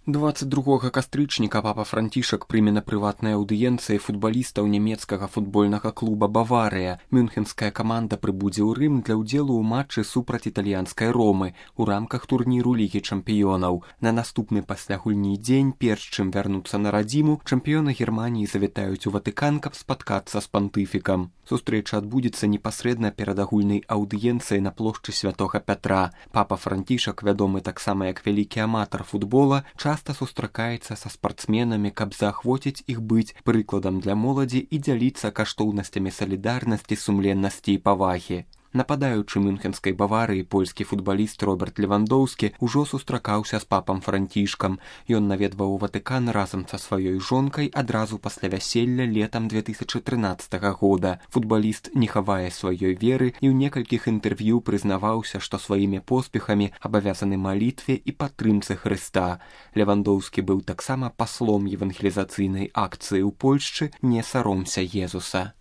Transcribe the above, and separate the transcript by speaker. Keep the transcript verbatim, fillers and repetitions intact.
Speaker 1: двадцать другога кастрычніка папа Францішак прыме на прыватнай аўдыенцыі футбалістаў нямецкага футбольнага клуба «Баварыя». Мюнхенская каманда прыбудзе ў Рым для ўдзелу ў матчы супраць італьянскай Ромы у рамках турніру Лігі чэмпіёнаў. На наступны пасля гульні дзень, перш чым вярнуцца на радзіму, чэмпіёны Германіі завітаюць у Ватыкан, каб спаткацца з пантыфікам. Сустрэча адбудзецца непасрэдна перад агульнай аўдыенцыяй на плошчы Святога Пятра. Папа Францішак, вядомы таксама як вялікі аматар футбола, часта сустракаецца са спартсменамі, каб заахвоціць іх быць прыкладам для моладзі і дзяліцца каштоўнасцямі салідарнасці, сумленнасці і павагі. Нападаючы мюнхенскай Баварыі польскі футбаліст Роберт Левандоўскі ўжо сустракаўся з папам Францішкам. Ён наведваў Ватыкан разам са сваёй жонкай адразу пасля вяселля летам две тысячы трынаццатага года. Футбаліст не хавае сваёй веры і ў некалькіх інтэрв'ю прызнаваўся, што сваімі поспехамі абавязаны малітве і падтрымцы Хрыста. Левандоўскі быў таксама паслом евангелізацыйнай акцыі ў Польшчы «Не саромся Езуса».